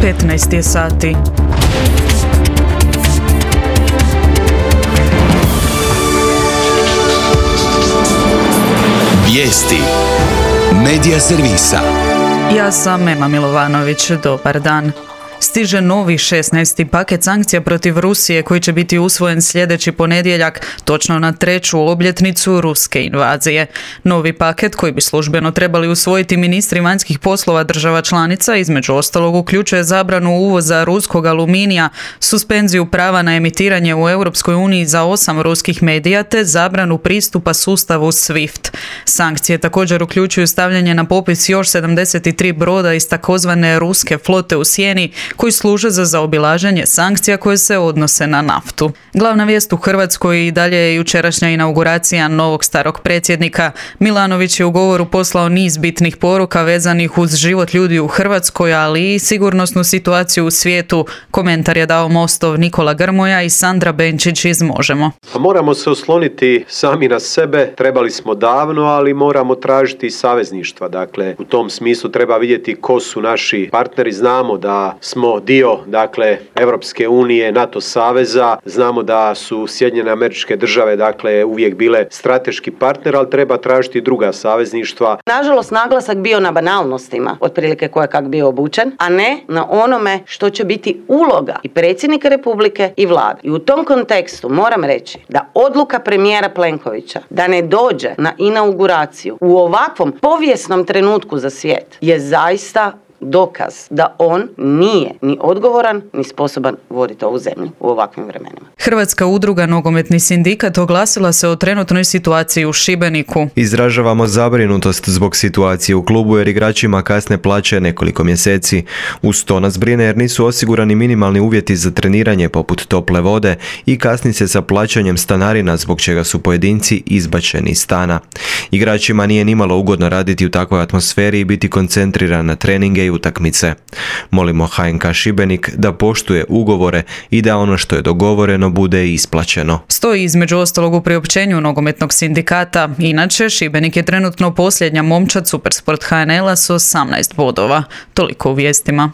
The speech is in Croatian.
15 je sati. Vijesti Medija servisa. Ja sam Ema Milovanović, dobar dan. Stiže novi 16. paket sankcija protiv Rusije koji će biti usvojen sljedeći ponedjeljak, točno na 3. obljetnicu ruske invazije. Novi paket koji bi službeno trebali usvojiti ministri vanjskih poslova država članica, između ostalog uključuje zabranu uvoza ruskog aluminija, suspenziju prava na emitiranje u Europskoj uniji za 8 ruskih medija te zabranu pristupa sustavu SWIFT. Sankcije također uključuju stavljanje na popis još 73 broda iz takozvane ruske flote u sjeni koji služe za zaobilaženje sankcija koje se odnose na naftu. Glavna vijest u Hrvatskoj i dalje je jučerašnja inauguracija novog starog predsjednika. Milanović je u govoru poslao niz bitnih poruka vezanih uz život ljudi u Hrvatskoj, ali i sigurnosnu situaciju u svijetu. Komentar je dao Mostov Nikola Grmoja i Sandra Benčić iz Možemo. Moramo se osloniti sami na sebe, trebali smo davno, ali moramo tražiti savezništva. Dakle, u tom smislu treba vidjeti ko su naši partneri. Znamo da smo dio, dakle, Europske unije, NATO saveza. Znamo da su Sjedinjene Američke Države, dakle, uvijek bile strateški partner, ali treba tražiti druga savezništva. Nažalost, naglasak bio na banalnostima, otprilike ko je kak bio obučen, a ne na onome što će biti uloga i predsjednika Republike i vlade. I u tom kontekstu moram reći da odluka premijera Plenkovića da ne dođe na inauguraciju u ovakvom povijesnom trenutku za svijet je zaista dokaz da on nije ni odgovoran ni sposoban voditi ovu zemlju u ovakvim vremenima. Hrvatska udruga Nogometni sindikat oglasila se o trenutnoj situaciji u Šibeniku. Izražavamo zabrinutost zbog situacije u klubu jer igračima kasne plaće nekoliko mjeseci. Uz to nas brine jer nisu osigurani minimalni uvjeti za treniranje poput tople vode i kasni se sa plaćanjem stanarina zbog čega su pojedinci izbačeni iz stana. Igračima nije nimalo ugodno raditi u takvoj atmosferi i biti koncentriran na treninge i utakmice. Molimo HNK Šibenik da poštuje ugovore i da ono što je dogovoreno bude isplaćeno. Stoji između ostalog u priopćenju Nogometnog sindikata. Inače, Šibenik je trenutno posljednja momčad Supersport HNL-a s 18 bodova. Toliko u vijestima.